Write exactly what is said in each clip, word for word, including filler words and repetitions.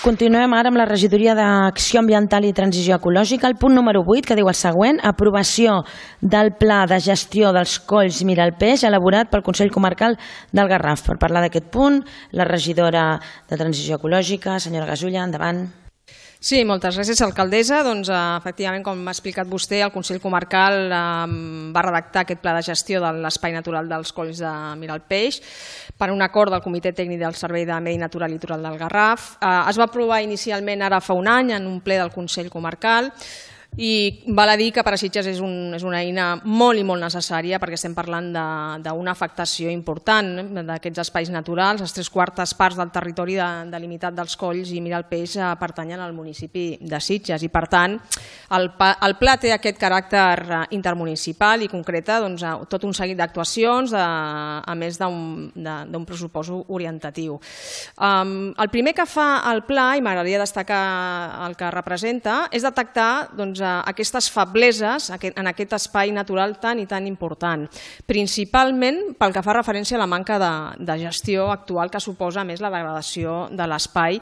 Continuem ara amb la regidoria d'Acció Ambiental i Transició Ecològica. El punt número vuit, que diu el següent: aprovació del Pla de Gestió dels Colls Miralpeix elaborat pel Consell Comarcal del Garraf. Per parlar d'aquest punt, la regidora de Transició Ecològica, senyora Gasulla, endavant. Sí, moltes gràcies, alcaldessa. Doncs, efectivament, com m'ha explicat vostè, el Consell Comarcal eh, va redactar aquest pla de gestió de l'espai natural dels Colls de Miralpeix per un acord del Comitè Tècnic del Servei de Medi Natural Litoral del Garraf. Eh, es va aprovar inicialment ara fa un any en un ple del Consell Comarcal i val a dir que per a Sitges és, un, és una eina molt i molt necessària perquè estem parlant d'una afectació important d'aquests espais naturals. Les tres quartes parts del territori de, delimitat dels Colls i Miralpeix eh, pertanyen al municipi de Sitges i, per tant, el, el pla té aquest caràcter intermunicipal i concreta doncs, tot un seguit d'actuacions a més d'un pressupost orientatiu. Um, el primer que fa el pla, i m'agradaria destacar el que representa, és detectar doncs, aquestes febleses en aquest espai natural tan i tan important, principalment pel que fa referència a la manca de, de gestió actual que suposa més la degradació de l'espai,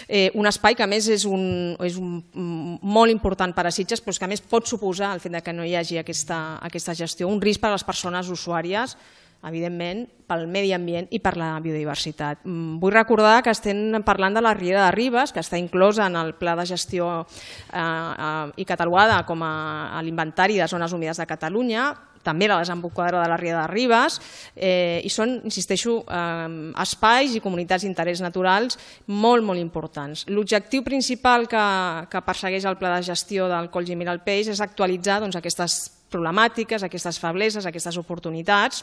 eh, un espai que a més és, un, és un, molt important per a Sitges, però que a més pot suposar el fet que no hi hagi aquesta, aquesta gestió, un risc per a les persones usuàries, evidentment, pel medi ambient i per la biodiversitat. Vull recordar que estem parlant de la Riera de Ribes, que està inclosa en el Pla de Gestió eh, eh, i catalogada com a, a l'inventari de zones humides de Catalunya, també la desembocadura de la Riera de Ribes, eh, i són, insisteixo, eh, espais i comunitats d'interès naturals molt, molt importants. L'objectiu principal que, que persegueix el Pla de Gestió del Colls i Miralpeix és actualitzar doncs, aquestes problemàtiques, aquestes febleses, aquestes oportunitats,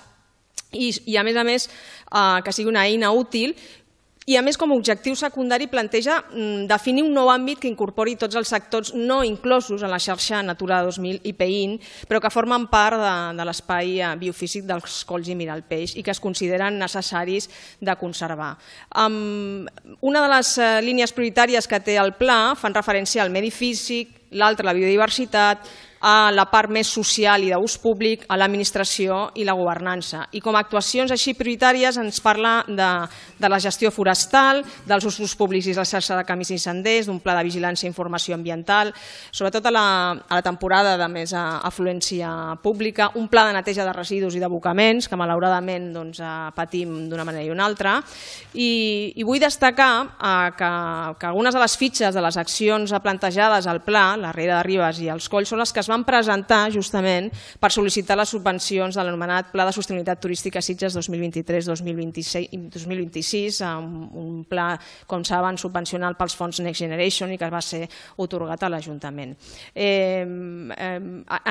I, i a més a més eh, que sigui una eina útil i a més com a objectiu secundari planteja mm, definir un nou àmbit que incorpori tots els sectors no inclosos en la xarxa Natura dos mil i P I N, però que formen part de, de l'espai biofísic dels Colls i Miralpeix i que es consideren necessaris de conservar. Um, una de les uh, línies prioritàries que té el pla fan referència al medi físic, l'altra la biodiversitat, a la part més social i d'ús públic, a l'administració i la governança. I com a actuacions així prioritàries ens parla de, de la gestió forestal, dels usos públics i la xarxa de camins i senders, d'un pla de vigilància i informació ambiental, sobretot a la, a la temporada de més afluència pública, un pla de neteja de residus i d'abocaments, que malauradament doncs, patim d'una manera i una altra. I, i vull destacar eh, que, que algunes de les fitxes de les accions plantejades al pla, la Riera de Ribes i els Colls, són les que es van presentar justament per sol·licitar les subvencions de l'anomenat Pla de Sostenibilitat Turística Sitges dos mil vint-i-tres dos mil vint-i-sis, un pla, com saben, subvencional pels fons Next Generation i que va ser otorgat a l'Ajuntament. Eh, eh,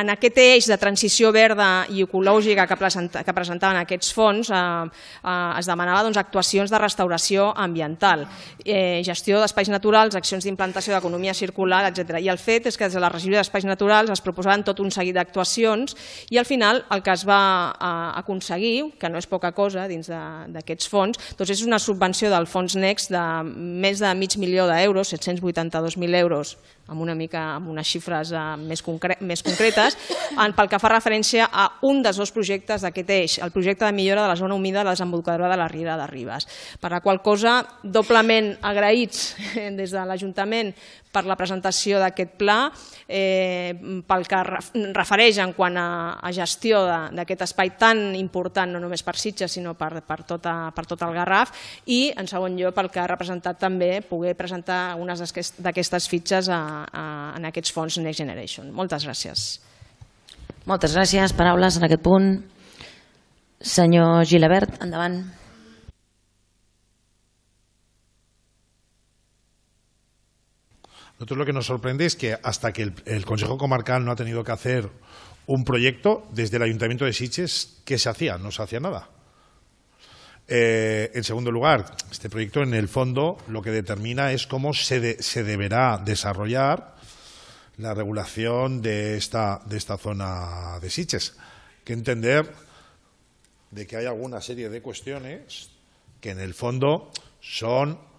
en aquest eix de transició verda i ecològica que, presenta, que presentaven aquests fons eh, eh, es demanava doncs, actuacions de restauració ambiental, eh, gestió d'espais naturals, accions d'implantació d'economia circular, etcètera. I el fet és que des de la regidoria d'espais naturals es proposaven tot un seguit d'actuacions i al final el que es va aconseguir, que no és poca cosa dins d'aquests fons, doncs és una subvenció del fons Next de més de mig milió d'euros, set-cents vuitanta-dos mil euros, amb una mica amb unes xifres més, concre més concretes, pel que fa referència a un dels dos projectes d'aquest eix, el projecte de millora de la zona humida de la desembocadura de la Riera de Ribes. Per la qual cosa, doblement agraïts des de l'Ajuntament per la presentació d'aquest pla, eh, pel que refereix en quant a, a gestió d'aquest espai tan important, no només per Sitges, sinó per, per, tota, per tot el Garraf, i en segon lloc pel que ha representat també poder presentar algunes d'aquestes fitxes a, a, en aquests fons Next Generation. Moltes gràcies. Moltes gràcies. Paraules en aquest punt. Senyor Gilabert, endavant. Nosotros lo que nos sorprende es que hasta que el, el Consejo Comarcal no ha tenido que hacer un proyecto, desde el Ayuntamiento de Sitges, ¿qué se hacía? No se hacía nada. Eh, en segundo lugar, este proyecto en el fondo lo que determina es cómo se, de, se deberá desarrollar la regulación de esta, de esta zona de Sitges. Hay que entender de que hay alguna serie de cuestiones que en el fondo son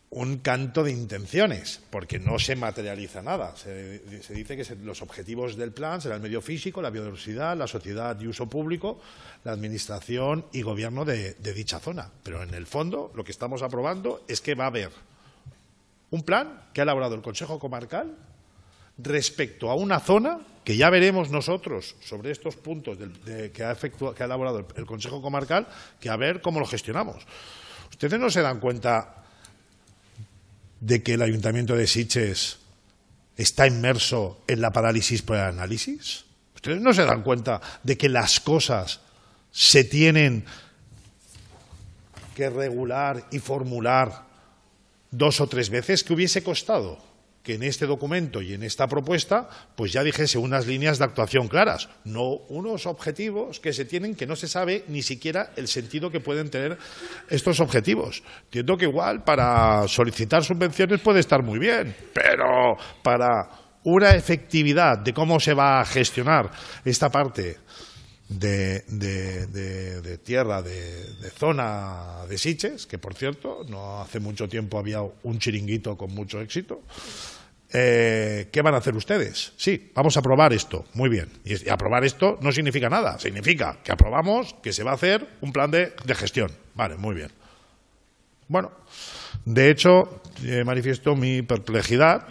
un canto de intenciones, porque no se materializa nada. Se, se dice que se, los objetivos del plan serán el medio físico, la biodiversidad, la sociedad y uso público, la administración y gobierno de, de dicha zona. Pero en el fondo lo que estamos aprobando es que va a haber Un plan que ha elaborado el Consejo Comarcal respecto a una zona que ya veremos nosotros sobre estos puntos de, de, que, ha efectuado, que ha elaborado el, el Consejo Comarcal, que a ver cómo lo gestionamos. ¿Ustedes no se dan cuenta de que el Ayuntamiento de Sitges está inmerso en la parálisis por el análisis? ¿Ustedes no se dan cuenta de que las cosas se tienen que regular y formular dos o tres veces? ¿Qué hubiese costado que en este documento y en esta propuesta pues ya dijese unas líneas de actuación claras, no unos objetivos que se tienen que no se sabe ni siquiera el sentido que pueden tener estos objetivos? Entiendo que igual para solicitar subvenciones puede estar muy bien, pero para una efectividad de cómo se va a gestionar esta parte de, de, de, de tierra, de, de zona de Sitges, que por cierto no hace mucho tiempo había un chiringuito con mucho éxito. Eh, ¿Qué van a hacer ustedes? Sí, vamos a aprobar esto, muy bien. Y aprobar esto no significa nada, significa que aprobamos que se va a hacer un plan de, de gestión. Vale, muy bien. Bueno, de hecho, eh, manifiesto mi perplejidad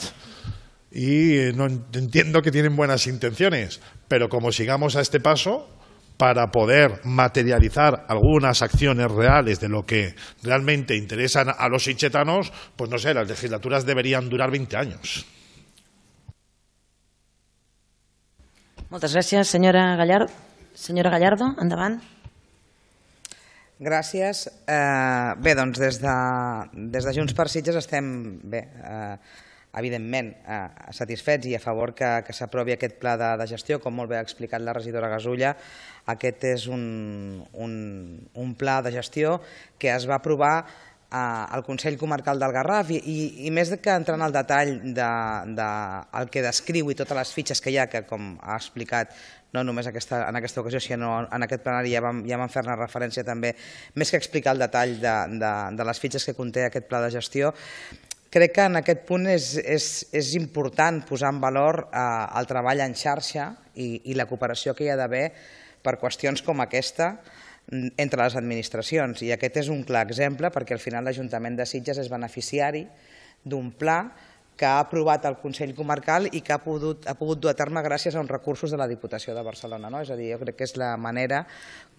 y eh, no entiendo que tienen buenas intenciones, pero como sigamos a este paso, para poder materializar algunas acciones reales de lo que realmente interesan a los sitgetanos, pues no sé, las legislaturas deberían durar veinte años. Moltes gràcies, senyora Gallardo. Senyora Gallardo, endavant. Gràcies. Eh, bé, doncs des de, des de Junts per Sitges estem bé, eh, evidentment eh, satisfets i a favor que, que s'aprovi aquest pla de, de gestió. Com molt bé ha explicat la regidora Gasulla, aquest és un, un, un pla de gestió que es va aprovar eh, al Consell Comarcal del Garraf i, i, i més que entrant al detall del de, de, el que descriu i totes les fitxes que hi ha, que com ha explicat no només aquesta, en aquesta ocasió, sinó en aquest plenari ja vam, ja vam fer-ne referència també, més que explicar el detall de, de, de les fitxes que conté aquest pla de gestió. Crec que en aquest punt és, és, és important posar en valor eh, el treball en xarxa i, i la cooperació que hi ha d'haver per qüestions com aquesta entre les administracions. I aquest és un clar exemple perquè al final l'Ajuntament de Sitges és beneficiari d'un pla que ha aprovat el Consell Comarcal i que ha pogut, ha pogut dur a terme gràcies a uns recursos de la Diputació de Barcelona. No? És a dir, jo crec que és la manera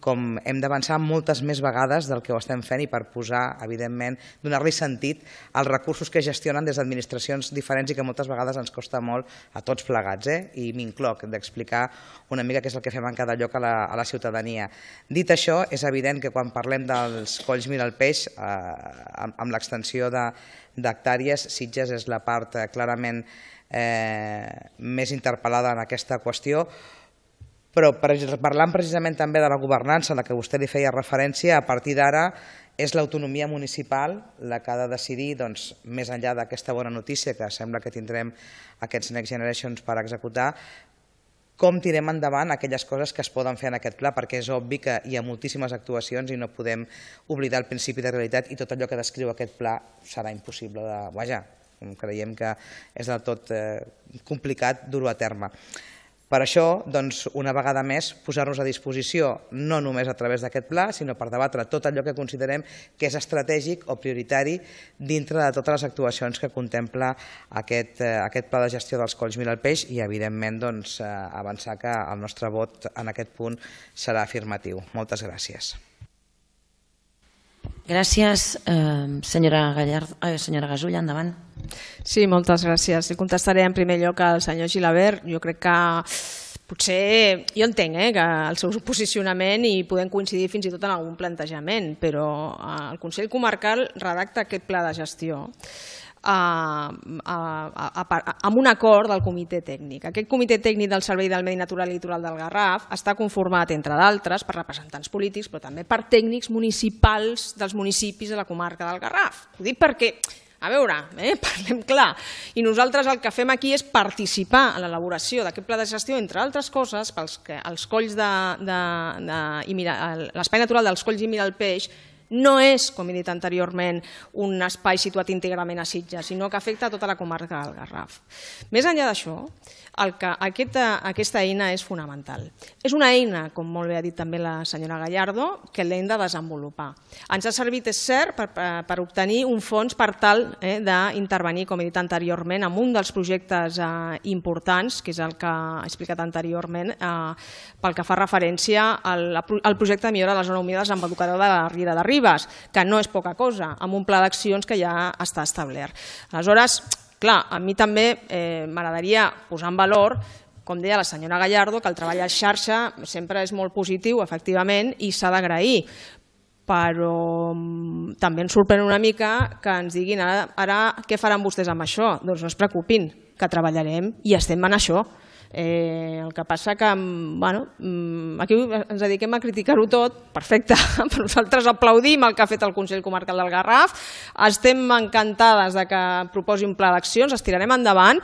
com hem d'avançar moltes més vegades del que ho estem fent i per posar, evidentment, donar-li sentit als recursos que gestionen des d'administracions diferents i que moltes vegades ens costa molt a tots plegats, eh? I m'incloc d'explicar una mica què és el que fem en cada lloc a la, a la ciutadania. Dit això, és evident que quan parlem dels colls Miralpeix, eh, amb, amb l'extensió de d'hectàrees, Sitges és la part eh, clarament eh, més interpel·lada en aquesta qüestió, però per, parlant precisament també de la governança a la que vostè li feia referència, a partir d'ara és l'autonomia municipal la que ha de decidir, doncs, més enllà d'aquesta bona notícia que sembla que tindrem aquests Next Generations per executar, com tirem endavant aquelles coses que es poden fer en aquest pla, perquè és obvi que hi ha moltíssimes actuacions i no podem oblidar el principi de realitat i tot allò que descriu aquest pla serà impossible de... Vaja, creiem que és del tot eh, complicat dur-ho a terme. Per això, doncs, una vegada més, posar-nos a disposició no només a través d'aquest pla, sinó per debatre tot allò que considerem que és estratègic o prioritari dintre de totes les actuacions que contempla aquest, eh, aquest pla de gestió dels colls Miralpeix i, evidentment, doncs, eh, avançar que el nostre vot en aquest punt serà afirmatiu. Moltes gràcies. Gràcies, eh, senyora Gallardo, eh, senyora Gasulla, endavant. Sí, moltes gràcies. Li contestaré en primer lloc al senyor Gilabert. Jo crec que potser, jo entenc eh, que el seu posicionament i podem coincidir fins i tot en algun plantejament, però el Consell Comarcal redacta aquest pla de gestió A, a, a, a, amb un acord del comitè tècnic. Aquest comitè tècnic del Servei del Medi Natural i Litoral del Garraf està conformat, entre d'altres, per representants polítics, però també per tècnics municipals dels municipis de la comarca del Garraf. Ho dic perquè, a veure, eh, parlem clar, i nosaltres el que fem aquí és participar en l'elaboració d'aquest pla de gestió, entre altres coses, pels que els colls de, de, de i mira, l'espai natural dels colls i Miralpeix No és, com he dit anteriorment, un espai situat íntegrament a Sitges, sinó que afecta a tota la comarca del Garraf. Més enllà d'això, el que aquesta, aquesta eina és fonamental. És una eina, com molt bé ha dit també la senyora Gallardo, que l'hem de desenvolupar. Ens ha servit, és cert, per, per obtenir un fons per tal eh, d'intervenir, com he dit anteriorment, en un dels projectes eh, importants, que és el que he explicat anteriorment, eh, pel que fa referència al, al projecte de millora de la zona humida amb educador de la Riera de Ribes, que no és poca cosa, amb un pla d'accions que ja està establert. Aleshores, clar, a mi també eh, m'agradaria posar en valor, com deia la senyora Gallardo, que el treball a xarxa sempre és molt positiu, efectivament, i s'ha d'agrair. Però també ens sorprèn una mica que ens diguin ara, ara què faran vostès amb això? Doncs no es preocupin, que treballarem i estem en això. Eh, el que passa que bueno, aquí ens dediquem a criticar-ho tot, perfecte, però nosaltres aplaudim el que ha fet el Consell Comarcal del Garraf, estem encantades de que proposi un pla d'accions, es tirarem endavant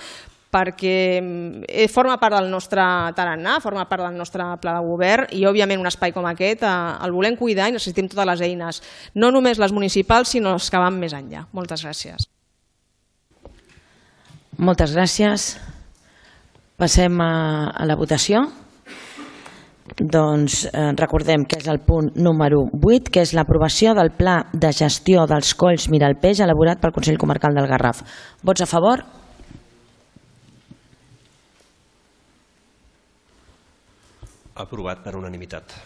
perquè forma part del nostre tarannà, forma part del nostre pla de govern i òbviament un espai com aquest el volem cuidar i necessitem totes les eines, no només les municipals sinó les que van més enllà. Moltes gràcies. Moltes gràcies. Passem a, a la votació. Doncs eh, recordem que és el punt número vuit, que és l'aprovació del Pla de Gestió dels Colls Miralpeix elaborat pel Consell Comarcal del Garraf. Vots a favor? Aprovat per unanimitat.